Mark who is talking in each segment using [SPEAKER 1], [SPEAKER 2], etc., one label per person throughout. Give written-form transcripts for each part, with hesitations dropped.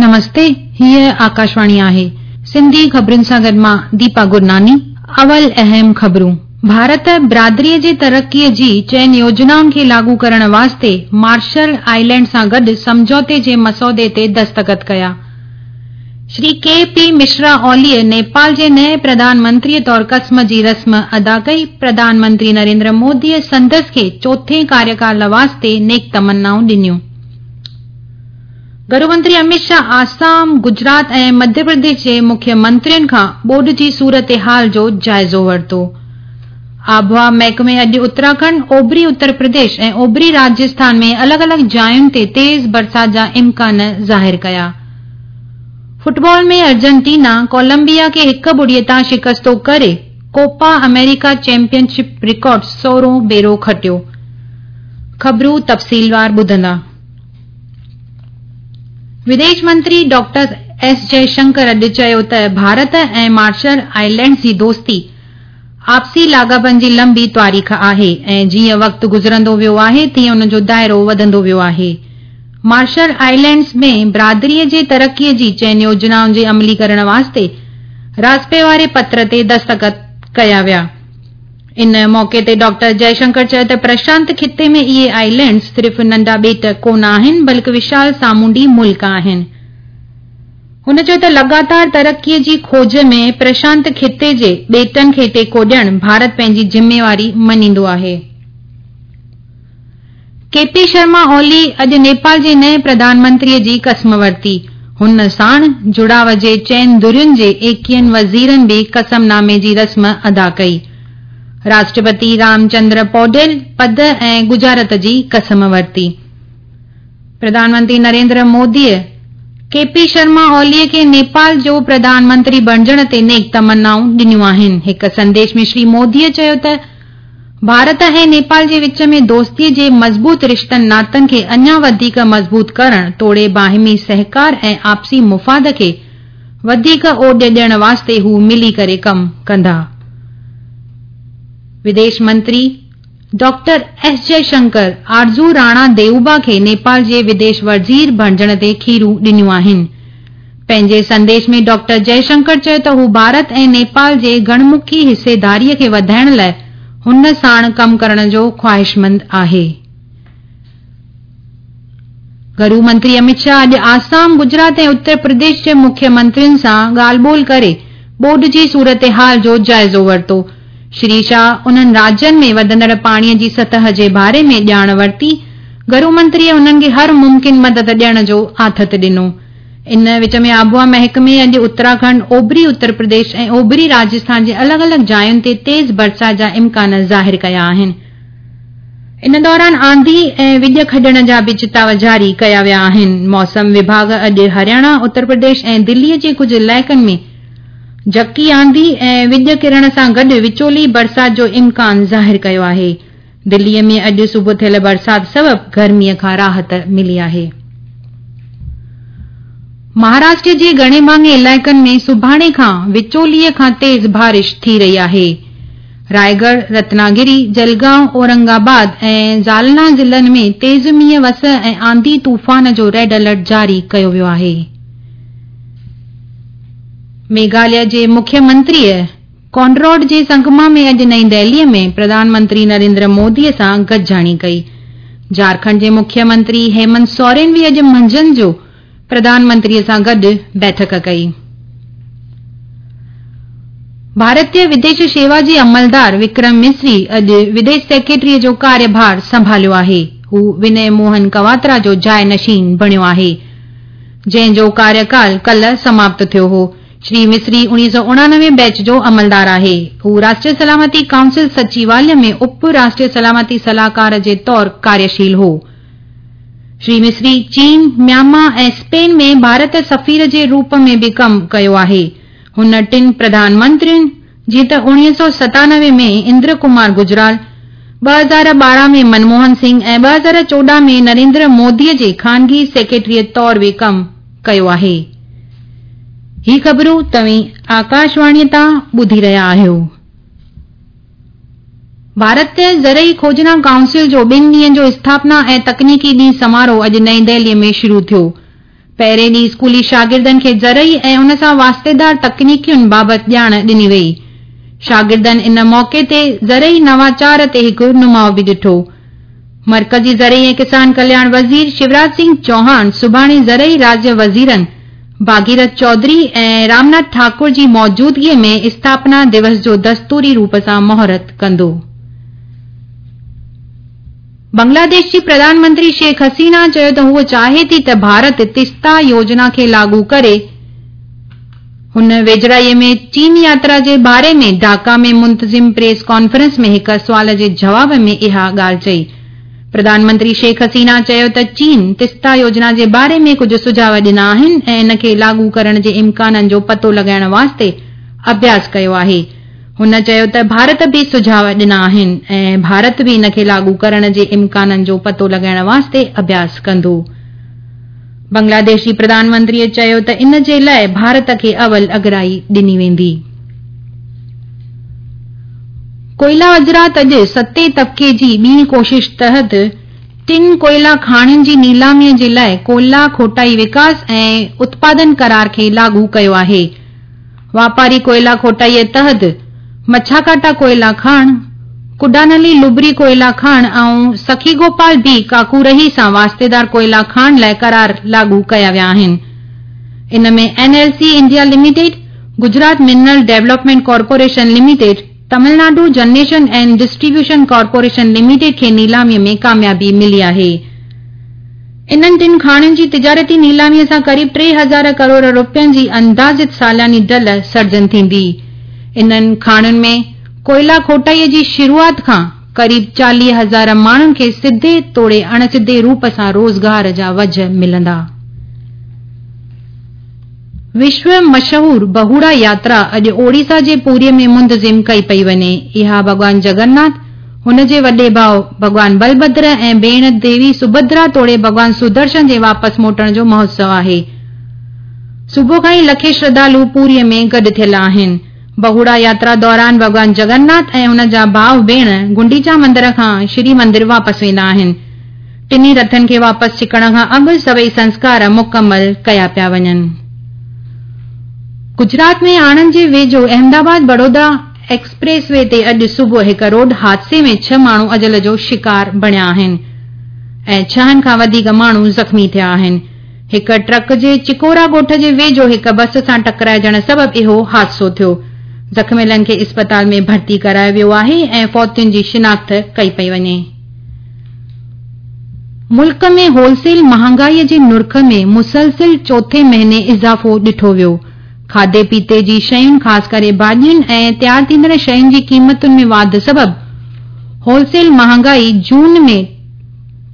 [SPEAKER 1] نمستي، هيء آڪاشواڻي آهي. سنڌي خبرن سان گڏ مان ديپا گرناني. اول اهم خبرون. ڀارت برادريء جي ترقيء جي چئن يوجنائن کي لاڳو ڪرڻ واسطي مارشل آئلينڊ سان گڏ سمجهوتي جي مسودي تي دستخط ڪيا. شري ڪي پي مشرا اوليء نيپال جي نئين پرڌان منتريء طور قسم جي رسم ادا ڪئي. پرڌان منتري نريندر موديء سندس کي چوٿين ڪاريڪال واسطي نيڪ تمنائون ڏنيون. گهرو منتري اميت شاهه آسام، گجرات ۽ مڌيه پرديش جي مکيه منترين کان ٻوڏ جي صورتحال جو جائزو ورتو. آبهوا محڪمي اڄ اتراکنڊ، اوڀري اتر پرديش ۽ اوڀري راجسٿان ۾ الڳ الڳ جاين تي تيز برسات جا امڪان ظاهر ڪيا. فٽبال ۾ ارجنٽينا ڪولمبيا کي هڪ ٻڙي تان شڪستو ڪري ڪوپا آمريڪا چيمپيئن شپ رڪارڊ سورهون ڀيرو کٽيو. خبرون تفصيلوار ٻڌندا. وديش منتري ڊاڪٽر ايس جئه شنڪر اڄ چيو ته ڀارت ۽ مارشل آئلينڊز جي دوستي آپسي لاڳاپن جي لنبي تواريخ آهي ۽ جيئن وقت گذرندو ويو آهي تيئن ان جو دائرو وڌندو ويو آهي. مارشل آئلينڊز ۾ برادري جي ترقي جي چئن يوجنائن جي عملي ڪرڻ واسطي راضپي واري پتر تي دستخط ڪيا ويا. ان موقعي تي ڊاڪٽر جئه شنڪر چيو ته پرشانت خطي ۾ اهي آئلينڊز صرف ننڍا ٻيٽ ڪونه آهن بلڪ وشال سامونڊي ملڪ آهن. هن چيو ته لڳاتار ترقي جي کوج ۾ پرشانت خطي جي ٻيٽن کي ٽيڪو ڏيڻ ڀارت پنهنجي ذميواري مڃيندو آهي. ڪي پي شرما اولي اڄ نيپال جي نئين پرڌان منتري جي قسم ورتي. هن ساڻ جڙاء جي چئن ڌرين جي ايڪيهن وزيرن به قسم نامي جي رسم ادا ڪئي. راشٽرپتي رام چندر پوڊيل پد ۽ ڳجهارت جي قسم ورتي. پرڌان منتري نريندر موديء ڪي پي شرما اولي کي نيپال جو پرڌان منتري بڻجڻ تي نيڪ تمنائون ڏنيون آهن. هڪ سنديش ۾ شري موديء چيو ته ڀارت ۽ نيپال جي وچ ۾ دوستي جي مضبوط رشتن ناتن کي اڃا وڌيڪ مضبوط ڪرڻ توڙي باهمي سهڪار ۽ آپسي مفاد کي وڌيڪ اوڏ ڏيڻ واسطي هو ملي ڪري ڪم ڪندا. وديش منتري ڊاڪٽر ايس جئه شنڪر آرزو راڻا ديوبا کي نيپال جي وديش وزير بڻجڻ تي کيرون ڏنيون آهن. پنهنجي سنديش ۾ ڊاڪٽر جئه شنڪر چيو ته هو ڀارت ۽ نيپال جي گهڻ مکي حصيداري کي وڌائڻ لاء هن ساڻ ڪم ڪرڻ جو خواهشمند آهي. گهرو منتري اميت شاهه اڄ آسام، گجرات ۽ اتر پرديش جي مکيه منترين سان ڳالهه ٻولهه ڪري ٻوڏ جي صورتحال جو جائزو ورتو. شري شاهه انهن راجين ۾ وڌندڙ پاڻي جي سطح جي باري ۾ ڄاڻ ورتي. گهرو منتريء انهن کي هر ممڪن مدد ڏيڻ جو آٿت ڏنو. ان وچ ۾ آبهوا محڪمي اڄ اتراکنڊ، اوڀري اتر پرديش ۽ اوڀري راجسٿان جي الڳ الڳ جاين تي تيز برسات جا امڪان ظاهر ڪيا آهن. ان دوران آنڌي ۽ وڄ کڄڻ جا به چتاء جاري ڪيا ويا آهن. موسم وڀاڳ اڄ هرياڻا، اتر پرديش ۽ دلي جي ڪجهه علائقن ۾ جهڪي آنڌي ۽ وڄ ڪرڻ سان گڏ وچولي برسات جو امڪان ظاهر ڪيو آهي. دلي ۾ اڄ صبح ٿيل برسات سبب گرمي کان راحت ملي آهي. مهاراشٽر جي گهڻي ڀاڱي علائقن ۾ سڀاڻي کان وچولي کان تيز بارش ٿي رهي آهي. رائيڳڙهه، رتناگري، جلگائون، اورنگ آباد ۽ جالنا ضلعن ۾ تيز مينهن وس ۽ آنڌي طوفان جو ريڊ الرٽ جاري ڪيو ويو آهي. ميگهاليه جي مکيه منتريء ڪونراڊ جي سنگما ۾ اڄ نئين دهليء ۾ پرڌان منتري نريندر موديء سان گڏجاڻي ڪئي. جهارکنڊ جي مکيه منتري هيمنت سورين به اڄ منجهند جو پرڌان منتريء سان گڏ بيٺڪ ڪئي. ڀارتيه وديش شيوا جي عملدار وڪرم مصري اڄ وديش سيڪريٽريء جو ڪاريڀار سنڀاليو آهي. هو ونئي موهن ڪواترا جو جاء نشين بڻيو آهي، جنهن جو ڪاريڪال ڪلهه سماپت ٿيو هو. شري مصري 1989 بيچ جو عملدار آهي. هو راشٽريه سلامتي ڪائونسل سچيواليه ۾ اپ راشٽريه سلامتي صلاحڪار جي طور ڪاريشيل هو. شري مصري چين، ميانما ۽ اسپين ۾ ڀارت سفير جي روپ ۾ به ڪم ڪيو آهي. هن ٽن پرڌان منترين جيئن ته 1997 ۾ اندر ڪمار گجرال، 2012 ۾ منموهن سنگهه ۽ 2014 ۾ نريندر مودي جي خانگي سيڪريٽريء طور به ڪم ڪيو آهي. هي خبرون توهين آڪاشواڻيء تان ٻڌي رهيا آهيو. ڀارتي زرعي کوجنا ڪائونسل جو ٻن ڏينهن جو اسٿاپنا ۽ تڪنيڪي ڏينهن سماروهه اڄ نئين دهليء ۾ شروع ٿيو. پهرين ڏينهن اسڪولي شاگردن کي زرعي ۽ ان سان واسطيدار تڪنيڪين بابت ڄاڻ ڏني وئي. شاگردن ان موقعي تي زرعي نواچار تي هڪ نماء به ڏٺو. مرڪزي زرعي ۽ ڪسان ڪلياڻ وزير شيوراج سنگهه چوهاڻ سڀاڻي زرعي راجيه وزيرن ڀاگيرٿ چوڌري ۽ رامناٿ ٺاڪر جي موجودگي ۾ اسٿاپنا دوس جو دستوري روپ سان مهورت ڪندو. بنگلاديش جي پرڌان منتري شيخ حسينه چيو ته هوء چاهي ٿي ته ڀارت تستا يوجنا کي لاڳو ڪري. هن ويجهڙائي ۾ چين ياترا جي باري ۾ ڍاڪا ۾ منتظم پريس ڪانفرنس ۾ هڪ سوال جي جواب ۾ اها ڳالهه چئي. پرڌان منتري شيخ حسينه چيو ته چين تستا يوجنا جي باري ۾ ڪجهه سجهاء ڏنا آهن ۽ ان کي لاڳو ڪرڻ جي امڪانن جو پتو لڳائڻ واسطي اڀياس ڪيو آهي. هن چيو ته ڀارت به سجهاء ڏنا آهن ۽ ڀارت به ان کي لاڳو ڪرڻ جي امڪانن جو پتو لڳائڻ واسطي اڀياس ڪندو. بنگلاديش جي پرڌان منتري چيو ته ان جي لاء ڀارت کي اول اڳرائي ڏني ويندي. ڪوئلا وزارت اڄ ستين طبقي جي ٻي ڪوشش تحت ٽن ڪوئلا کاڻين جي نيلامي جي لاء ڪوئلا کوٽائي وڪاس ۽ اتپادن قرار کي لاڳو ڪيو آهي. واپاري ڪوئلا کوٽائيء تحت مڇاڪاٽا ڪوئلا کاڻ، ڪڊانلي لبري ڪوئلا کاڻ ۽ سخي گوپال بي ڪاڪورهي سان واسطيدار ڪوئلا کاڻ لاء قرار لاڳو ڪيا ويا آهن. ان ۾ N L C India limited, Gujarat mineral development corporation limited, Tamil Nadu generation and distribution corporation limited کي نيلاميء ۾ ڪاميابي ملي آهي. انهن ٽن کاڻين جي تجارتي نيلاميء سان قريب 3000 ڪروڙ رپين جي اندازت سالياني ڍل سرجن ٿيندي. انهن کاڻين ۾ ڪوئلا کوٽائيء جي شروعات کان قريب 40 هزار ماڻهن کي سڌي توڙي اڻ سڌي روپ سان روزگار جا وجهه ملندا. وشو مشهور بهوڙا ياترا اڄ اوڙيسا جي پوريء ۾ منتظم ڪئي پئي وڃي. اها ڀڳوان جگناٿ، هن جي وڏي ڀاء ڀڳوان بلڀدر ۽ ڀيڻ ديوي سڀدرا توڙي ڀڳوان سدرشن جي واپس موٽڻ جو مهوتسو آهي. صبح کان ئي لکين شرڌالو پوريء ۾ گڏ ٿيل آهن. بهوڙا ياترا دوران ڀڳوان جگناٿ ۽ هن جا ڀاء ڀيڻ گنڊيچا مندر کان شري مندر واپس ويندا آهن. ٽنهي رٿن کي واپس ڇڪڻ کان اڳ سڀئي سنسڪار مڪمل ڪيا پيا وڃن. گجرات ۾ آڻند جي ويجهو احمد آباد بڙودا ايڪسپريس وي تي اڄ صبح هڪ روڊ حادثي ۾ ڇهه ماڻهو اجل جو شڪار بڻيا آهن ۽ ڇهن کان وڌيڪ ماڻهو زخمي ٿيا آهن. هڪ ٽرڪ جي چڪورا ڳوٺ جي ويجهو هڪ بس سان ٽڪرائجڻ سبب اهو حادثو ٿيو. زخميلن کي اسپتال ۾ ڀرتي ڪرايو ويو آهي ۽ فوتين جي شناخت ڪئي پئي وڃي. ملڪ ۾ هول سيل مهانگائي جي نرخ ۾ مسلسل چوٿين مهيني اضافو ڏٺو ويو. کاڌي پيتي جي شين خاص ڪري ڀاڄين ۽ تيار ٿيندڙ شين جي قيمتن ۾ واڌ سبب هول سيل مهانگائي جون ۾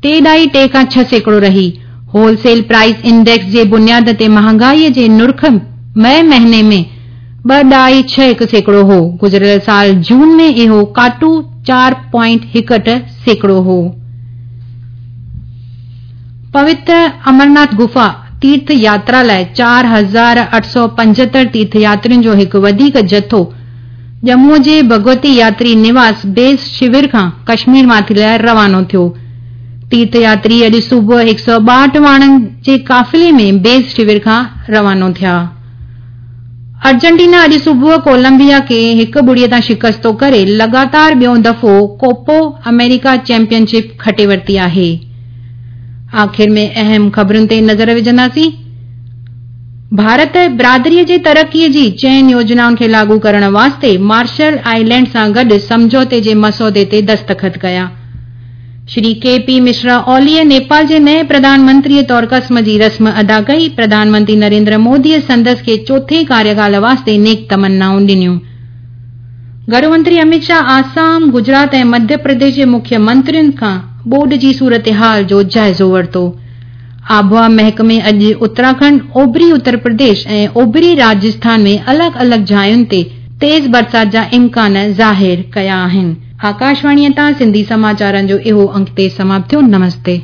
[SPEAKER 1] 3.3 کان 6% رهي. هول سيل پرائس انڊيڪس جي بنياد تي مهانگائي جي نرخ مئي مهيني ۾ 2.61% هو. گذريل سال جون ۾ اهو ڪاٽو 4.18% هو. پوتر امرناٿ گفا تيرٿ ياترا لاء 4875 تيرٿ ياترين جو هڪ وڌيڪ جٿو ڄمون جي ڀڳوتي ياتري نواس بيس شور کان ڪشمير ماٿري لاء روانو ٿيو. تيرٿ ياتري اڄ صبح 162 واڻن جي قافلي ۾ بيس شور کان روانو ٿيا. ارجنٽينا اڄ صبح ڪولمبيا کي 1-0 تان شڪستو ڪري لڳاتار ٻيون دفعو ڪوپو آمريڪا چيمپيئن شپ کٽي ورتي آهي. آخر ۾ اهم خبرن تي نظر وجهنداسين. ڀارت برادري جي ترقي جي چئن يوجنائن کي لاڳو ڪرڻ واسطي مارشل آئلينڊ سان گڏ سمجهوتي جي مسودي تي دستخط ڪيا. شري ڪي پي مشرا اوليء نيپال جي نئين پرڌان منتريء طور قسم جي رسم ادا ڪئي. پرڌان منتري نريندر موديء سندس کي چوٿين ڪاريڪال واسطي نيڪ تمنائون ڏنيون. گهرو منتري اميت شاهه آسام، گجرات ۽ مڌيه پرديش جي مکيه منترين کان ٻوڏ جي صورتحال جو جائزو ورتو. آبهوا محڪمي اڄ اتراکنڊ، اوڀري اتر پرديش ۽ اوڀري راجسٿان ۾ الڳ الڳ جاين تي تيز برسات جا امڪان ظاهر ڪيا آهن. آڪاشواڻيء تان سنڌي سماچارن جو اهو انگ تي سماپت ٿيو. نمستي.